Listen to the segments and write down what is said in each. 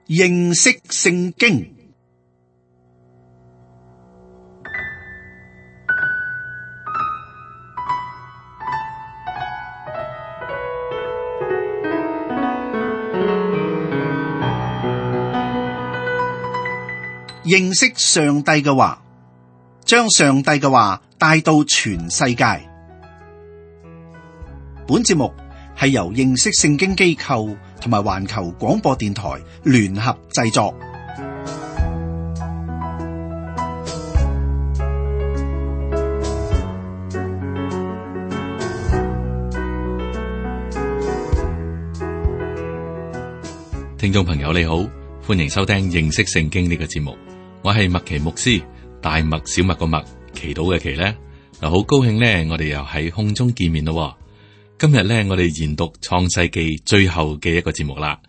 認識聖經。認識上帝嘅話，將上帝嘅話帶到全世界。本節目係由認識聖經機構同埋環球廣播電台聯合製作。聽眾朋友你好，歡迎收聽認識聖經呢個節目。我係麥奇牧師，大麥小麥個麥，祈禱嘅祈呢，好高興呢，我哋又喺空中見面咯。今日呢，我哋研讀創世記最後嘅一個節目啦。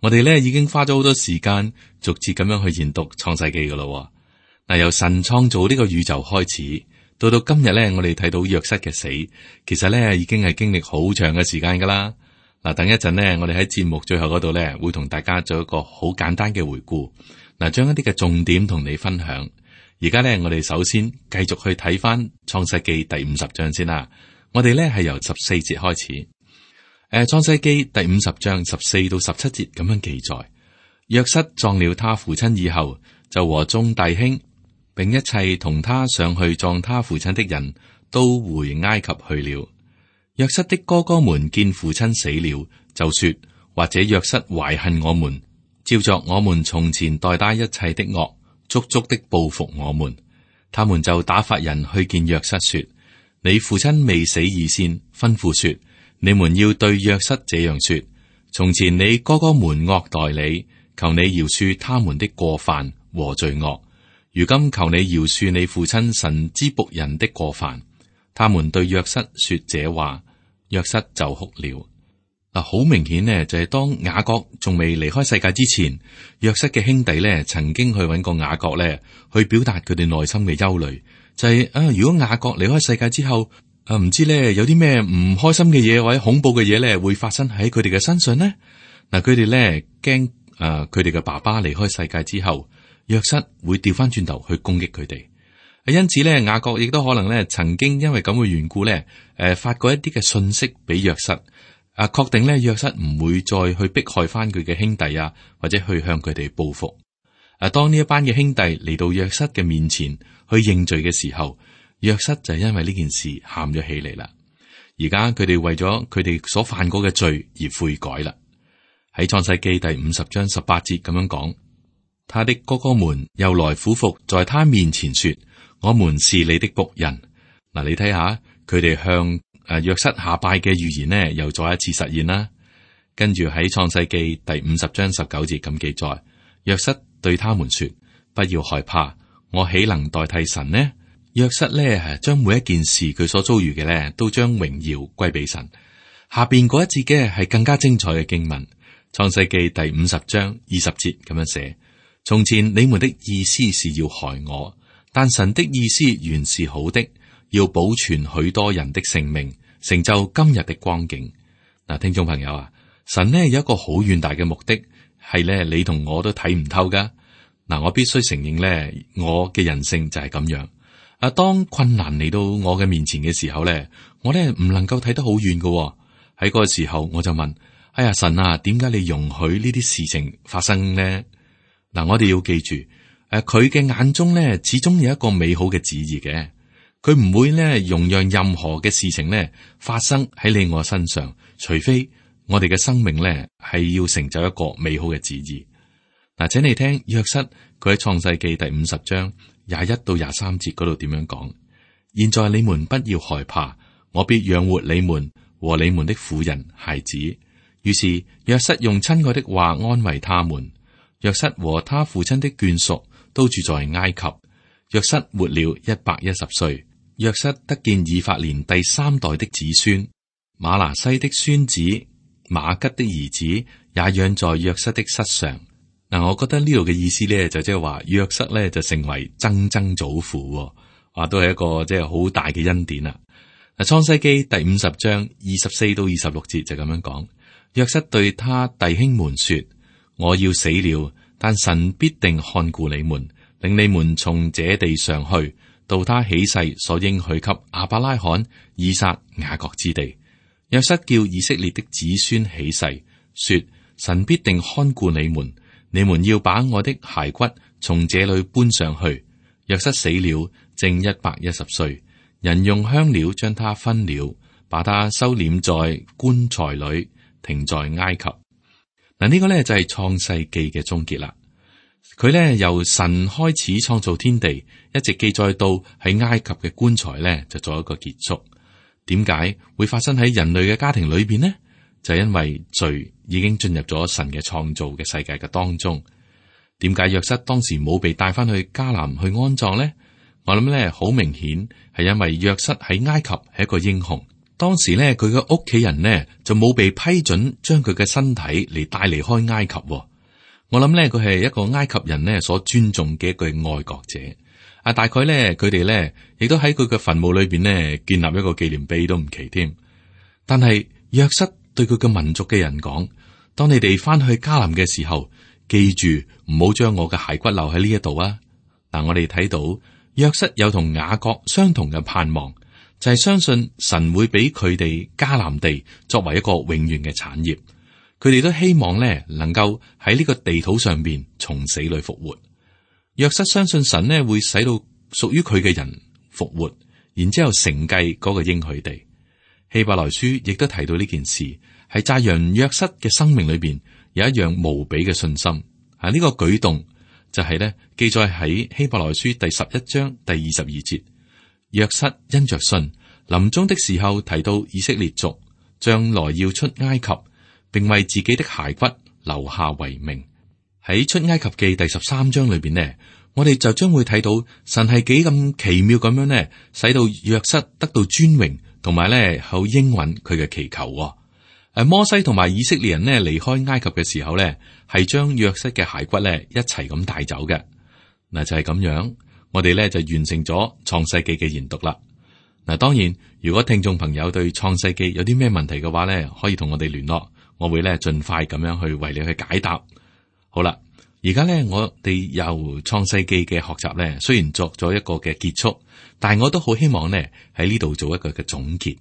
我哋呢已經花咗好多時間，逐節咁樣去研讀創世記噶咯。嗱，由神創造呢個宇宙開始，到今日呢，我哋睇到約瑟嘅死，其實呢已經係經歷好長嘅時間噶啦。嗱，等一陣呢，我哋喺節目最後嗰度呢，會同大家做一個好簡單嘅回顧。嗱，將一啲嘅重點同你分享。而家呢，我哋首先繼續去睇翻創世記第50章先啦。我哋呢係由14節開始。創世記第50章14到17節咁樣記載：約瑟葬了他父親以後，就和眾弟兄，並一切同他上去葬他父親的人都回埃及去了。約瑟的哥哥們見父親死了，就說：或者約瑟懷恨我們，照着我們從前待他一切的惡，足足的報復我們。他們就打發人去見約瑟說：你父親未死以先，吩咐說，你們要對約瑟這樣說：從前你哥哥們惡待你，求你饒恕他們的過犯和罪惡。如今求你饒恕你父親神之僕人的過犯。他們對約瑟說這話，約瑟就哭了。好明顯呢，就係當雅各仲未離開世界之前，約瑟嘅兄弟呢曾經去揾過雅各呢，去表達佢哋內心嘅憂慮，就係如果雅各離開世界之後，唔知呢有啲咩唔開心嘅嘢或者恐怖嘅嘢呢會發生喺佢哋嘅身上呢？嗱，佢哋呢驚佢哋嘅爸爸離開世界之後，約瑟會調翻轉頭去攻擊佢哋。因此呢，雅各亦都可能呢曾經因為咁嘅緣故呢，發過一啲嘅信息俾約瑟。確定咧，約瑟唔會再去迫害翻佢嘅兄弟啊，或者去向佢哋報復。當呢一班嘅兄弟嚟到約瑟嘅面前去認罪嘅時候，約瑟就係因為呢件事喊咗起嚟啦。而家佢哋為咗佢哋所犯過嘅罪而悔改啦。喺創世記第50章18節咁樣講，他的哥哥們又來俯伏在他面前說：我們是你的僕人。嗱，你睇下佢哋向約瑟下拜嘅預言呢，又再一次實現啦。跟住喺創世記第50章19節咁記載，約瑟對他們說：不要害怕，我豈能代替神呢？約瑟呢將每一件事佢所遭遇嘅呢，都將榮耀歸俾神。下邊嗰一節嘅係更加精彩嘅經文，創世記第50章20節咁樣寫：從前你們的意思是要害我，但神的意思原是好的，要保存許多人的性命，成就今日的光景。嗱，聽眾朋友啊，神呢有一個好遠大嘅目的，係呢你同我都睇唔透噶。嗱，我必須承認呢，我嘅人性就係咁樣。當困難嚟到我嘅面前嘅時候呢，我呢唔能夠睇得好遠噶。喺嗰個時候，我就問：哎呀，神啊，點解你容許呢啲事情發生呢？嗱，我哋要記住，佢嘅眼中呢，始終有一個美好嘅旨意嘅。佢唔會呢容讓任何嘅事情呢發生喺你我身上，除非我哋嘅生命呢係要成就一個美好嘅旨意。嗱，請你聽約瑟佢喺創世記第50章21到23節嗰度點樣講：現在你們不要害怕，我必養活你們和你們的婦人孩子。於是約瑟用親愛的話安慰他們。約瑟和他父親的眷屬都住在埃及。約瑟活了110歲。約瑟得見以法蓮第3代的子孫，瑪拿西的孫子瑪吉的兒子也養在約瑟的膝上。嗱，我覺得呢度嘅意思咧，就即係話約瑟咧就成為曾曾祖父，都係一個即係好大嘅恩典啦。嗱，創世記第50章24到26節就咁樣講，約瑟對他弟兄們說：我要死了，但神必定看顧你們，令你們從這地上去，到他起誓所應許給亞伯拉罕、以撒、雅各之地。約瑟叫以色列的子孫起誓，說：神必定看顧你們，你們要把我的骸骨從這裏搬上去。約瑟死了，正110歲，人用香料將他分了，把他收斂在棺材裏，停在埃及。嗱，呢個呢就係創世記嘅終結啦。佢呢由神開始創造天地，一直記載到喺埃及嘅棺材呢就做一個結束。點解會發生喺人類嘅家庭裏邊呢？就係因為罪已經進入咗神嘅創造嘅世界嘅當中。點解約瑟當時冇被帶翻去迦南去安葬呢？我諗呢好明顯係因為約瑟喺埃及係一個英雄。當時呢，佢嘅屋企人呢就冇被批准將佢嘅身體嚟帶離開埃及。我諗呢，佢係一個埃及人呢所尊重嘅一個愛國者。大概呢，佢哋呢亦都喺佢嘅墳墓裏邊呢建立一個紀念碑都唔奇添。但係約瑟對佢嘅民族嘅人講：當你哋翻去迦南嘅時候，記住唔好將我嘅骸骨留喺呢一度啊！嗱，我哋睇到約瑟有同雅各相同嘅盼望，就係相信神會俾佢哋迦南地作為一個永遠嘅產業。佢哋都希望呢能夠喺呢個地土上邊從死裏復活。約瑟相信神呢會使到屬於佢嘅人復活，然之後承繼嗰個應許地。希伯來書亦都提到呢件事，係讚揚約瑟嘅生命裏邊有一樣無比嘅信心。呢個舉動就係呢記載喺希伯來書第11章第22節。約瑟因着信，臨終的時候提到以色列族將來要出埃及，並為自己的骸骨留下遺命。喺出埃及記第13章裏邊呢，我哋就將會睇到神係幾咁奇妙咁樣呢，使到約瑟得到尊榮，同埋呢好應允佢嘅祈求。摩西同埋以色列人呢離開埃及嘅時候呢，係將約瑟嘅骸骨呢一齊咁帶走嘅。嗱，就係咁樣，我哋呢就完成咗創世記嘅研讀啦。嗱，當然如果聽眾朋友對創世記有啲咩問題嘅話呢，可以同我哋聯絡，我會呢盡快咁樣去為你去解答。好啦，而家呢，我哋由創世記嘅學習呢，雖然作咗一個嘅結束，但係我都好希望呢喺呢度做一個嘅總結，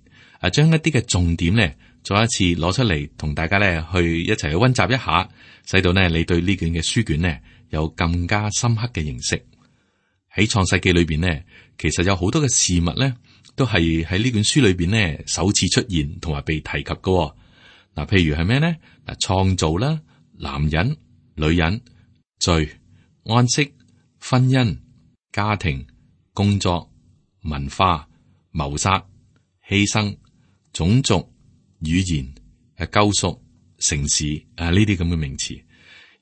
將一啲嘅重點呢再一次攞出嚟，同大家呢去一齊去溫習一下，使到呢你對呢卷嘅書卷呢有更加深刻嘅認識。喺創世記裏邊呢，其實有好多嘅事物呢，都係喺呢卷書裏邊呢首次出現同埋被提及嘅。嗱，譬如係咩呢？嗱，創造啦，男人、女人、罪、安息、婚姻、家庭、工作、文化、謀殺、犧牲、種族、語言、救贖、城市呢啲咁嘅名詞。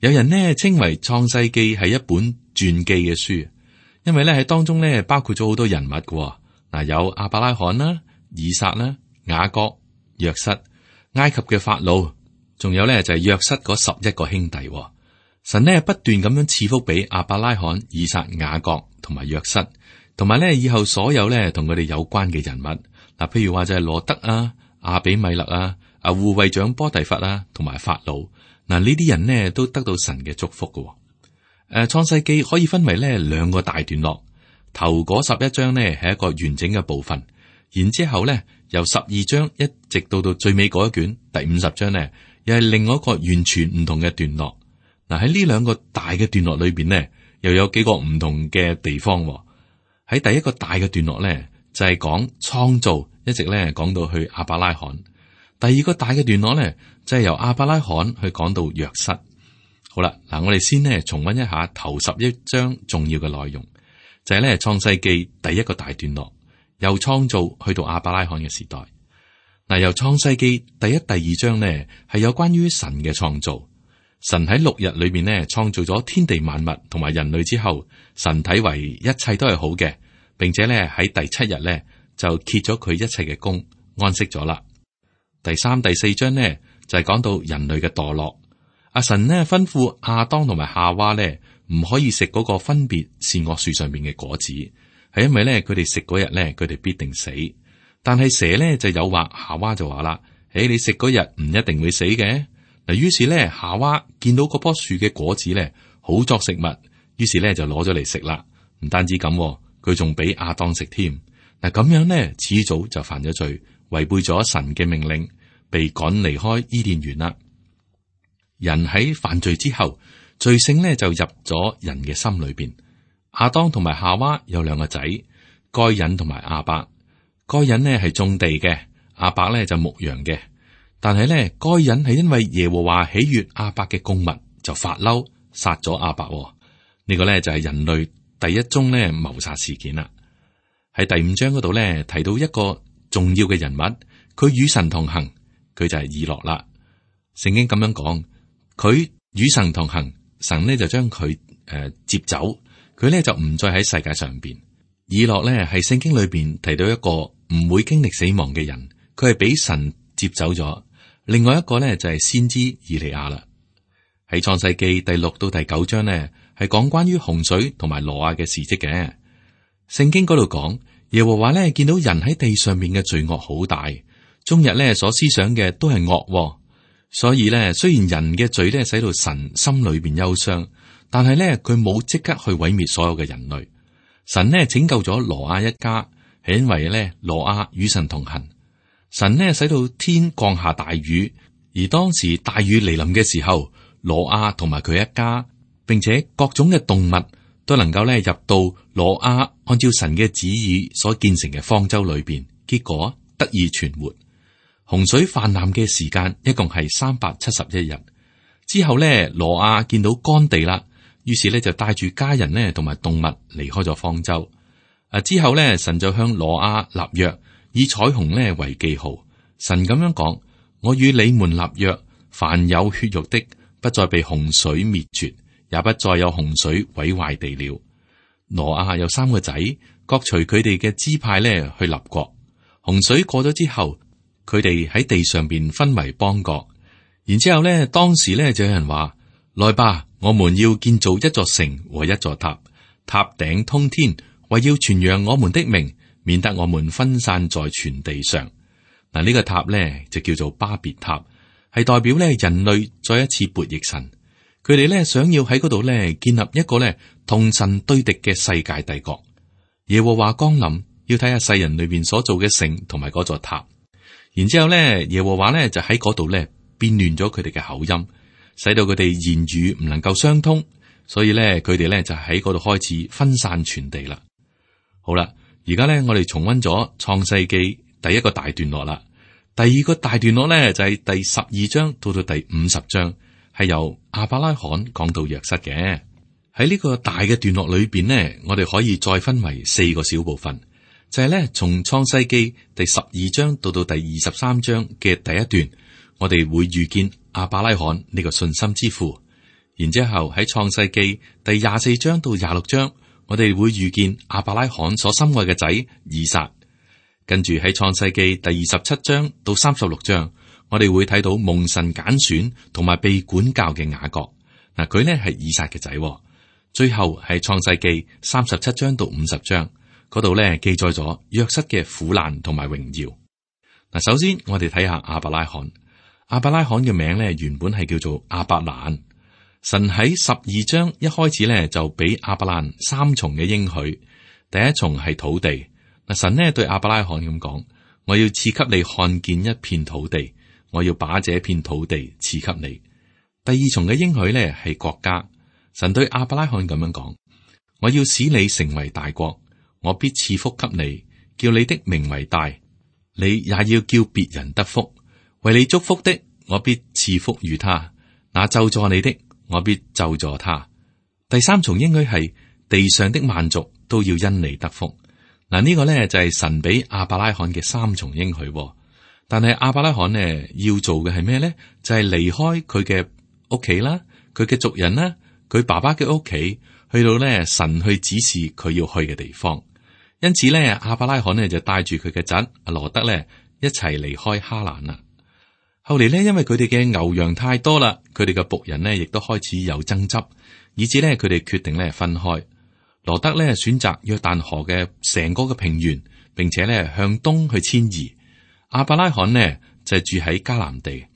有人呢稱為創世記係一本傳記嘅書，因為咧喺當中咧包括咗好多人物嘅。嗱，有亞伯拉罕啦、以撒啦、雅各、約瑟、埃及嘅法老，仲有咧就係約瑟嗰11個兄弟。神呢不斷咁樣賜福俾亞伯拉罕、以撒、雅各同埋約瑟，同埋咧以後所有咧同佢哋有關嘅人物。嗱，譬如話就係羅德啊、亞比米勒啊、護衛長波提乏啊，同埋法老。嗱，呢啲人呢都得到神嘅祝福嘅。創世記可以分為呢2個大段落，頭嗰11章呢係一個完整嘅部分，然之後呢由12章一直到最尾嗰一卷第50章呢，又係另外一個完全唔同嘅段落。嗱，喺呢2個大嘅段落裏邊呢，又有幾個唔同嘅地方。喺第一個大嘅段落呢，就係講創造，一直呢講到去亞伯拉罕。第二個大嘅段落呢，就係由亞伯拉罕去講到約瑟。好啦，嗱，我哋先呢重溫一下頭11章重要嘅內容，就係呢創世記第一個大段落，由創造去到亞伯拉罕嘅時代。嗱，由創世記第一、第二章呢係有關於神嘅創造。神喺6日裏面呢創造咗天地萬物同埋人類之後，神睇為一切都係好嘅，並且呢喺第7日呢就歇咗佢一切嘅工，安息咗啦。第3、第4章呢就係講到人類嘅墮落。阿神呢吩咐亞當同埋夏娃呢唔可以食嗰個分別善惡樹上面嘅果子，係因為呢佢哋食嗰日呢佢哋必定死。但係蛇呢就誘惑夏娃就話啦：你食嗰日唔一定會死嘅。嗱，於是呢夏娃見到嗰棵樹嘅果子呢，好作食物，於是咧就攞咗嚟食啦。唔單止咁，佢仲俾亞當食添。嗱，咁樣呢，始祖就犯咗罪，違背咗神嘅命令，被趕離開伊甸園啦。人喺犯罪之後，罪性呢就入咗人嘅心裏邊。亞當同埋夏娃有兩個仔，該隱同埋亞伯。該隱呢係種地嘅，亞伯呢就牧羊嘅。但係呢，該隱係因為耶和華喜悅亞伯嘅供物，就發嬲殺咗亞伯。呢個呢就係人類第一宗呢謀殺事件啦。喺第5章嗰度呢，提到一個重要嘅人物，佢與神同行，佢就係以諾啦。聖經咁樣講，佢與神同行，神呢就將佢接走，佢呢就唔再喺世界上邊。以諾呢係聖經裏邊提到一個唔會經歷死亡嘅人，佢係俾神接走咗。另外一個呢就係先知以利亞啦。喺創世記第6到第9章呢，係講關於洪水同埋挪亞嘅事蹟嘅。聖經嗰度講，耶和華呢見到人喺地上面嘅罪惡好大，終日呢所思想嘅都係惡，所以呢，雖然人嘅罪呢使到神心裏邊憂傷，但係呢，佢冇即刻去毀滅所有嘅人類。神呢拯救咗挪亞一家，係因為呢挪亞與神同行。神呢使到天降下大雨，而當時大雨嚟臨嘅時候，挪亞同埋佢一家，並且各種嘅動物都能夠呢入到挪亞按照神嘅旨意所建成嘅方舟裏邊，結果得以存活。洪水泛濫嘅時間一共係371日。之後呢，挪亞見到乾地啦，於是呢就帶住家人呢同埋動物離開咗方舟。之後呢，神就向挪亞立約，以彩虹呢為記號。神咁樣講：我與你們立約，凡有血肉的，不再被洪水滅絕，也不再有洪水毀壞地了。挪亞有3個仔，各隨佢哋嘅支派呢去立國。洪水過咗之後，佢哋喺地上邊分為邦國。然之後呢，當時呢就有人話：來吧，我們要建造一座城和一座塔，塔頂通天，為要傳揚我們的名，免得我們分散在全地上。嗱，呢個塔呢就叫做巴別塔，係代表呢人類再一次悖逆神。佢哋呢想要喺嗰度呢建立一個呢同神對敵嘅世界帝國。耶和華降臨，要睇下世人裏邊所做嘅城同埋嗰座塔。然之後呢，耶和華呢就喺嗰度呢變亂咗佢哋嘅口音，使到佢哋言語唔能夠相通，所以呢，佢哋呢就喺嗰度開始分散全地啦。好啦，而家呢，我哋重溫咗創世記第一個大段落啦。第二個大段落呢，就係第12章到到第50章，係由亞伯拉罕講到約瑟嘅。喺呢個大嘅段落裏邊呢，我哋可以再分為4個小部分，就係呢，從創世記第12章到到第23章嘅第一段，我哋會遇見亞伯拉罕呢個信心之父。然之後喺創世記第24章到26章，我哋會遇見亞伯拉罕所心愛嘅仔以撒。跟住喺創世記第27章到36章，我哋會睇到蒙神揀選同埋被管教嘅雅各。嗱，佢呢係以撒嘅仔。最後係創世記37章到50章嗰度呢，記載咗約瑟嘅苦難同埋榮耀。嗱，首先我哋睇下亞伯拉罕。亞伯拉罕嘅名呢，原本係叫做亞伯蘭。神喺12章一開始呢，就俾亞伯蘭3重嘅應許。第一重係土地。嗱，神呢對亞伯拉罕咁講：我要賜給你看見一片土地，我要把這片土地賜給你。第二重嘅應許呢係國家。神對亞伯拉罕咁樣講：我要使你成為大國，我必賜福給你，叫你的名為大，你也要叫別人得福。為你祝福的，我必賜福與他；那咒詛你的，我必咒詛他。第三重應許係地上的萬族都要因你得福。嗱，呢個呢就係神俾亞伯拉罕嘅3重應許。但係亞伯拉罕呢要做嘅係咩呢？就係離開佢嘅屋企啦，佢嘅族人啦，佢爸爸嘅屋企，去到呢神去指示佢要去嘅地方。因此呢，亞伯拉罕呢就帶住佢嘅侄羅德呢一齊離開哈蘭啦。後嚟呢，因為佢哋嘅牛羊太多啦，佢哋嘅僕人呢亦都開始有爭執，以至呢，佢哋決定呢分開。羅德呢選擇約旦河嘅成個嘅平原，並且呢向東去遷移。亞伯拉罕呢就住喺迦南地。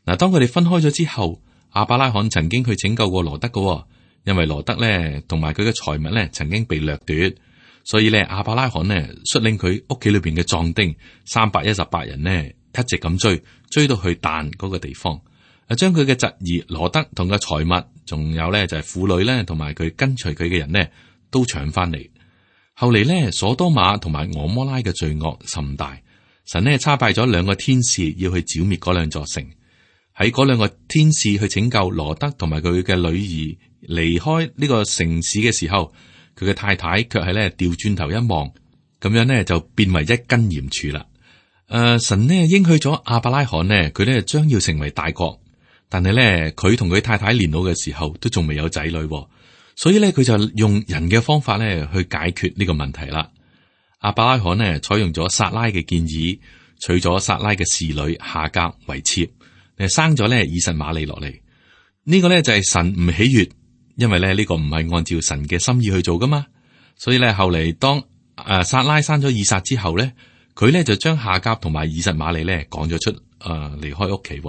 嗱，當佢哋分開咗之後，亞伯拉罕曾經去拯救過羅德嘅，因為羅德咧同埋佢嘅財物咧曾經被掠奪，所以咧亞伯拉罕呢率領佢屋企裏邊嘅壯丁318人呢一直咁追到去但嗰個地方，將佢嘅侄兒羅德同個財物，仲有咧就係婦女咧同埋佢跟隨佢嘅人呢都搶翻嚟。後嚟呢，所多瑪同埋俄摩拉嘅罪惡甚大，神呢差派咗2個天使要去剿滅嗰2座城。喺嗰2個天使去拯救羅德同埋佢嘅女兒離開呢個城市嘅時候，佢嘅太太卻係咧調轉頭一望，咁樣呢就變為一根鹽柱啦。神呢應許咗亞伯拉罕呢，佢呢將要成為大國，但係呢，佢同佢太太年老嘅時候都仲未有仔女，所以呢，佢就用人嘅方法呢去解決呢個問題啦。亞伯拉罕呢採用咗撒拉嘅建議，娶咗撒拉嘅侍女夏甲為妾。生咗咧以實瑪利落嚟，呢個咧就係神唔喜悅，因為咧呢個唔係按照神嘅心意去做噶嘛。所以咧後嚟當撒拉生咗以撒之後咧，佢咧就將夏甲同埋以實瑪利咧趕咗出離開屋企。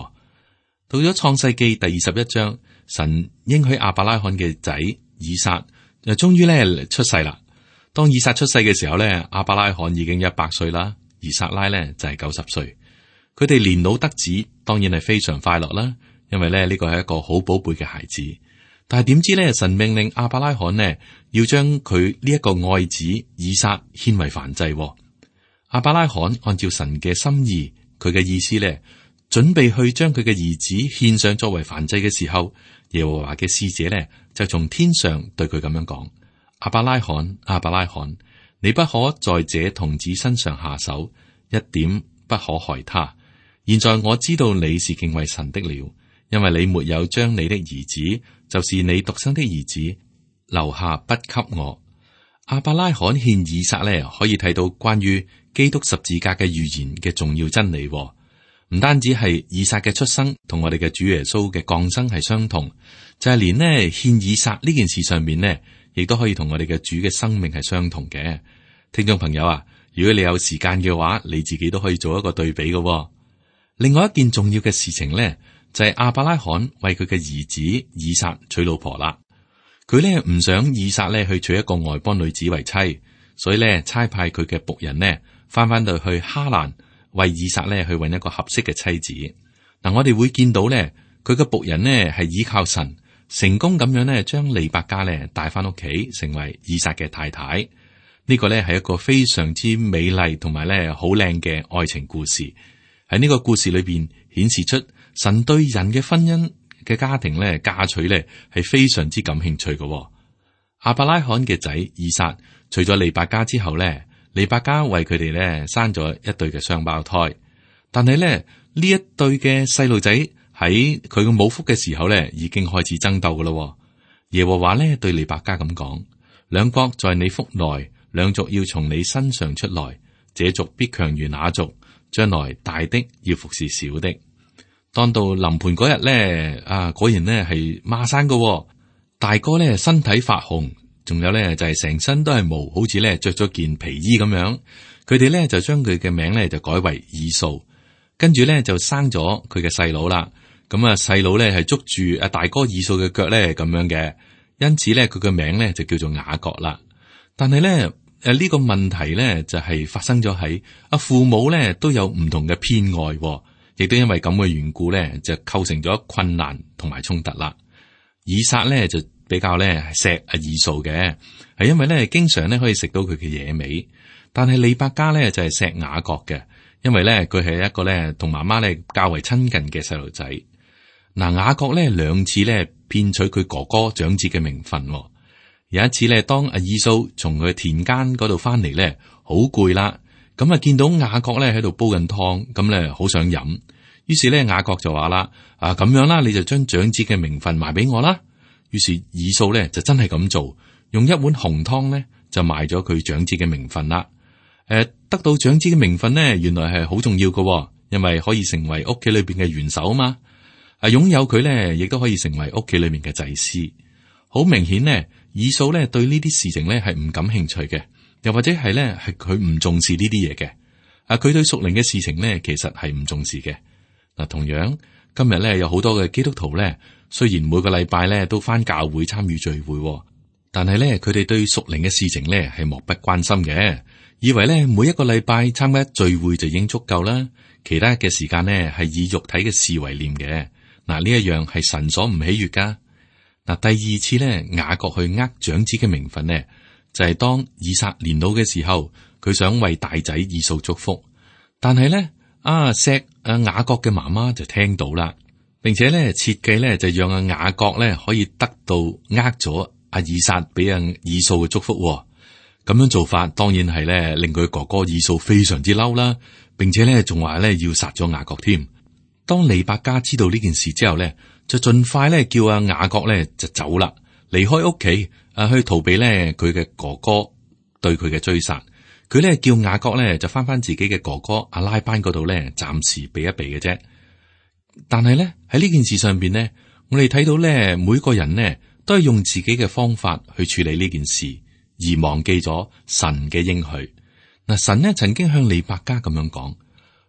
到咗創世記第21章，神應許亞伯拉罕嘅仔以撒就終於咧出世啦。當以撒出世嘅時候咧，亞伯拉罕已經100歲啦，而撒拉咧就係90歲。佢哋年老得子，當然係非常快樂啦，因為咧呢個係一個好寶貝嘅孩子。但係點知咧，神命令亞伯拉罕呢要將佢呢一個愛子以撒獻為燔祭。亞伯拉罕按照神嘅心意，佢嘅意思咧，準備去將佢嘅兒子獻上作為燔祭嘅時候，耶和華嘅使者咧就從天上對佢咁樣講：亞伯拉罕，亞伯拉罕，你不可在這童子身上下手，一點不可害他。現在我知道你是敬畏神的了，因為你沒有將你的兒子，就是你獨生的兒子，留下不給我。亞伯拉罕獻以撒咧，可以睇到關於基督十字架嘅預言嘅重要真理。唔單止係以撒嘅出生同我哋嘅主耶穌嘅降生係相同，就係連呢獻以撒呢件事上面呢，亦都可以同我哋嘅主嘅生命係相同嘅。聽眾朋友啊，如果你有時間嘅話，你自己都可以做一個對比嘅。另外一件重要嘅事情咧，就係亞伯拉罕為佢嘅兒子以撒娶老婆啦。佢咧唔想以撒咧去娶一個外邦女子為妻，所以咧差派佢嘅僕人呢翻到去哈蘭，為以撒咧去揾一個合適嘅妻子。嗱，我哋會見到咧，佢嘅僕人呢係依靠神，成功咁樣咧將利百加咧帶翻屋企，成為以撒嘅太太。呢個咧係一個非常之美麗同埋咧好靚嘅愛情故事。喺呢個故事裏邊顯示出神對人嘅婚姻嘅家庭咧嫁娶咧係非常之感興趣嘅。亞伯拉罕嘅仔以撒娶咗利百加之後咧，利百加為佢哋咧生咗一對嘅雙胞胎。但係咧呢一對嘅細路仔喺佢嘅母腹嘅時候咧已經開始爭鬥噶咯。耶和華咧對利百加咁講：兩國在你腹內，兩族要從你身上出來，這族必強如那族。將來大的要服侍小的。當到臨盆嗰日咧，果然咧係孖生嘅。大哥咧身體發紅，仲有咧就係成身都係毛，好似咧着咗件皮衣咁樣。佢哋咧就將佢嘅名咧就改為以掃，跟住咧就生咗佢嘅細佬啦。咁細佬咧係捉住大哥以掃嘅腳咧咁樣嘅，因此咧佢嘅名咧就叫做雅各啦。但係咧。呢個問題咧就係發生咗喺父母咧都有唔同嘅偏愛，亦都因為咁嘅緣故咧就構成咗困難同埋衝突啦。以撒咧就比較咧錫以掃嘅，係因為咧經常咧可以食到佢嘅野味，但係利百加咧就係錫雅各嘅，因為咧佢係一個咧同媽媽咧較為親近嘅細路仔。嗱，雅各咧2次咧騙取佢哥哥長子嘅名分。有一次咧，當以掃從佢田間嗰度翻嚟咧，好攰啦，咁見到雅各咧喺度煲緊湯，咁咧好想飲，於是咧雅各就話啦：咁樣啦，你就將長子嘅名分賣俾我啦。於是以掃咧就真係咁做，用一碗紅湯咧就賣咗佢長子嘅名分啦。得到長子嘅名分呢，原來係好重要嘅，因為可以成為屋企裏邊嘅元首啊嘛。擁有佢咧，亦都可以成為屋企裏面嘅祭司。好明顯呢。以掃咧對呢啲事情咧係唔感興趣嘅，又或者係咧係佢唔重視呢啲嘢嘅。佢對屬靈嘅事情咧其實係唔重視嘅。嗱，同樣今日咧有好多嘅基督徒咧雖然每個禮拜咧都返教會參與聚會，但係咧佢哋對屬靈嘅事情咧係漠不關心嘅，以為咧每一個禮拜參加聚會就已經足夠啦，其他嘅時間呢係以肉體嘅事為念嘅。嗱，呢一樣係神所唔喜悅噶。嗱，第二次咧雅各去長子嘅名分呢，就係當以撒年老嘅時候，佢想為大仔以掃祝福，但係咧雅各嘅媽媽就聽到啦，並且咧設計咧就讓雅各咧可以得到咗以撒俾以掃嘅祝福。咁樣做法當然係咧令佢哥哥以掃非常之嬲啦，並且咧仲話咧要殺咗雅各添。當利百加知道呢件事之後咧，就盡快咧叫雅各咧就走啦，離開屋企去逃避咧佢嘅哥哥對佢嘅追殺。佢咧叫雅各咧就翻自己嘅哥哥阿拉班嗰度咧，暫時避一避嘅啫。但係咧喺呢件事上邊咧，我哋睇到咧每個人呢都係用自己嘅方法去處理呢件事，而忘記咗神嘅應許。嗱，神呢曾經向利百加咁樣講：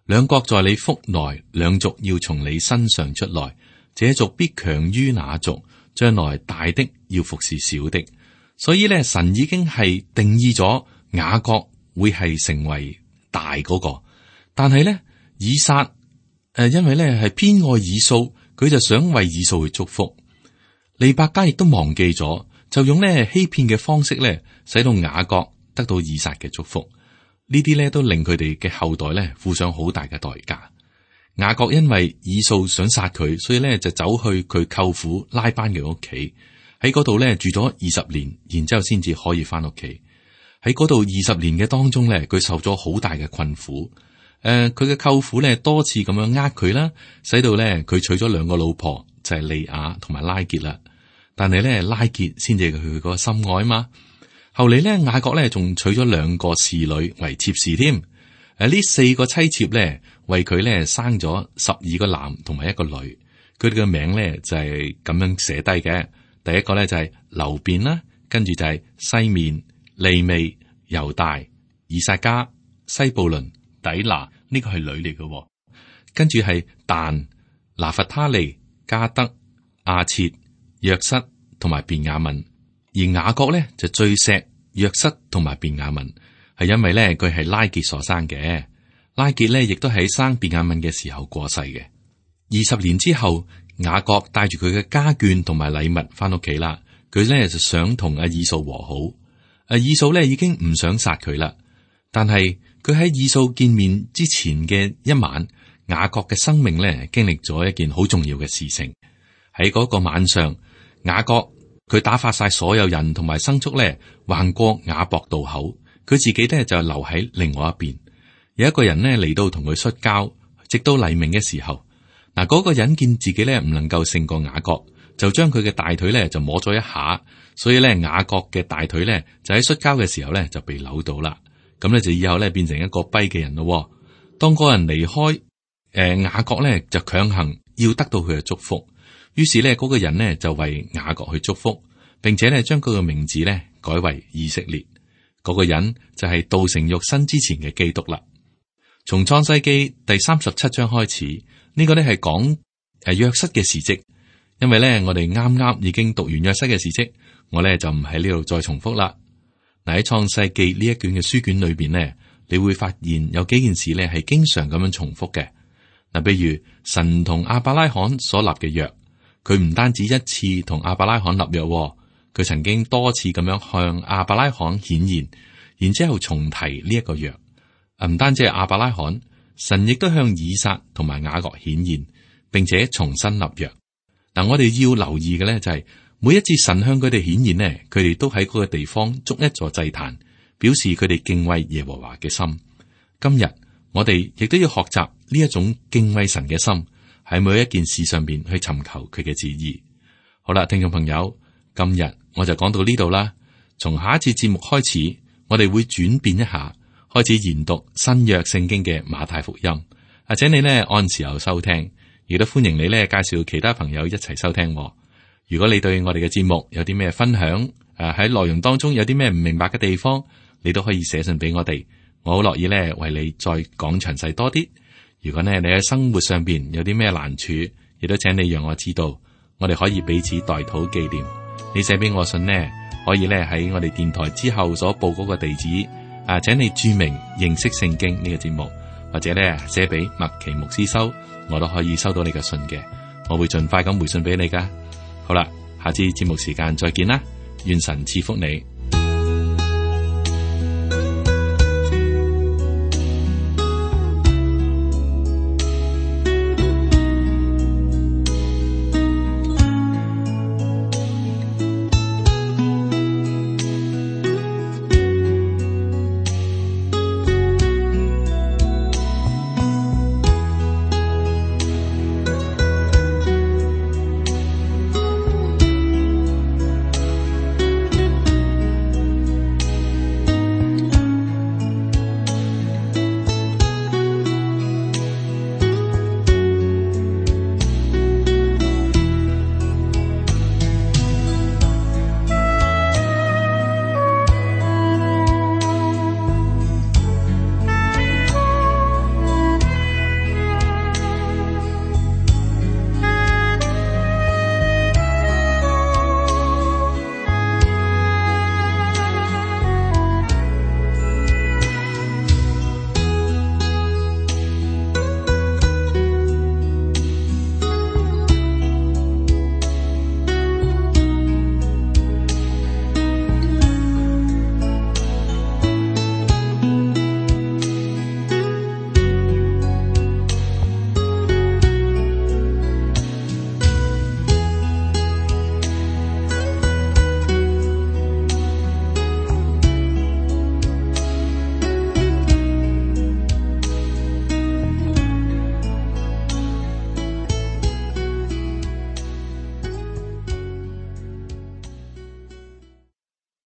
兩國在你腹內，兩族要從你身上出來，這族必強於那族，將來大的要服侍小的。所以咧，神已經係定義咗雅各會係成為大嗰個，但係咧以撒因為咧係偏愛以掃，佢就想為以掃去祝福。利百加亦都忘記咗，就用咧欺騙嘅方式咧，使到雅各得到以撒嘅祝福。呢啲咧都令佢哋嘅後代咧付上好大嘅代價。雅各因為以掃想殺佢，所以咧就走去佢舅父拉班嘅屋企，喺嗰度咧住咗20年，然之後先至可以翻屋企。喺嗰度20年嘅當中咧，佢受咗好大嘅困苦。佢嘅舅父咧多次咁樣佢啦，使到咧佢娶咗2個老婆，就係利亞同埋拉結啦。但係咧拉結先至係佢個心愛嘛。後嚟咧雅各咧仲娶咗2個侍女為妾侍添。呢4個妻妾咧為佢咧生咗12個男同埋1個女。佢哋嘅名咧就係咁樣寫低嘅。第一個咧就係流便啦，跟住就係西面、利未、猶大、以薩迦、西布倫、底拿，呢個係女嚟嘅。跟住係但、拿弗他利、加德、亞設、約瑟同埋便雅憫。而雅各咧就最錫約瑟同埋便雅憫，係因為咧佢係拉結所生嘅。拉結咧亦都喺生便雅憫嘅時候過世嘅。20年之後，雅各帶住佢嘅家眷同埋禮物翻屋企啦。佢咧就想同以掃和好。以掃咧已經唔想殺佢啦，但係佢喺以掃見面之前嘅一晚，雅各嘅生命咧經歷咗一件好重要嘅事情。喺嗰個晚上，雅各佢打發晒所有人同埋牲畜咧，橫過雅博渡口，佢自己咧就留喺另外一邊。有一個人咧嚟到同佢摔跤，直到黎明嘅時候，嗰個人見自己咧唔能夠勝過雅各，就將佢嘅大腿咧就摸咗一下，所以咧雅各嘅大腿咧就喺摔跤嘅時候咧就被扭到啦。咁咧就以後咧變成一個跛嘅人咯。當嗰人離開，雅各咧就強行要得到佢嘅祝福。於是咧，嗰個人呢就為雅各去祝福，並且咧將佢嘅名字咧改為以色列。嗰個人就係道成肉身之前嘅基督啦。從創世記第37章開始，呢個咧係講約瑟嘅事蹟。因為咧我哋啱啱已經讀完約瑟嘅事蹟，我咧就唔喺呢度再重複啦。嗱，喺創世記呢一卷嘅書卷裏邊呢，你會發現有幾件事咧係經常咁樣重複嘅。嗱，比如神同亞伯拉罕所立嘅約。佢唔單止一次同亞伯拉罕立約，佢曾經多次咁樣向亞伯拉罕顯現，然之後重提呢一個約。唔單止係亞伯拉罕，神亦都向以撒同埋雅各顯現，並且重新立約。嗱，我哋要留意嘅咧就係每一次神向佢哋顯現呢，佢哋都喺嗰個地方築一座祭壇，表示佢哋敬畏耶和華嘅心。今日我哋亦都要學習呢一種敬畏神嘅心。喺每一件事上邊去尋求佢嘅旨意。好啦，聽眾朋友，今日我就講到呢度啦。從下一次節目開始，我哋會轉變一下，開始研讀新約聖經嘅馬太福音。請你呢按時候收聽，亦都歡迎你呢介紹其他朋友一齊收聽。如果你對我哋嘅節目有啲咩分享，喺內容當中有啲咩唔明白嘅地方，你都可以寫信俾我哋，我好樂意呢為你再講詳細多啲。如果呢你喺生活上邊有啲咩難處，亦都請你讓我知道，我哋可以彼此代禱紀念。你寫俾我信呢，可以咧喺我哋電台之後所報嗰個地址請你注明認識聖經呢個節目，或者咧寫俾麥奇牧師收，我都可以收到你嘅信嘅，我會盡快咁回信俾你噶。好啦，下次節目時間再見啦，願神賜福你。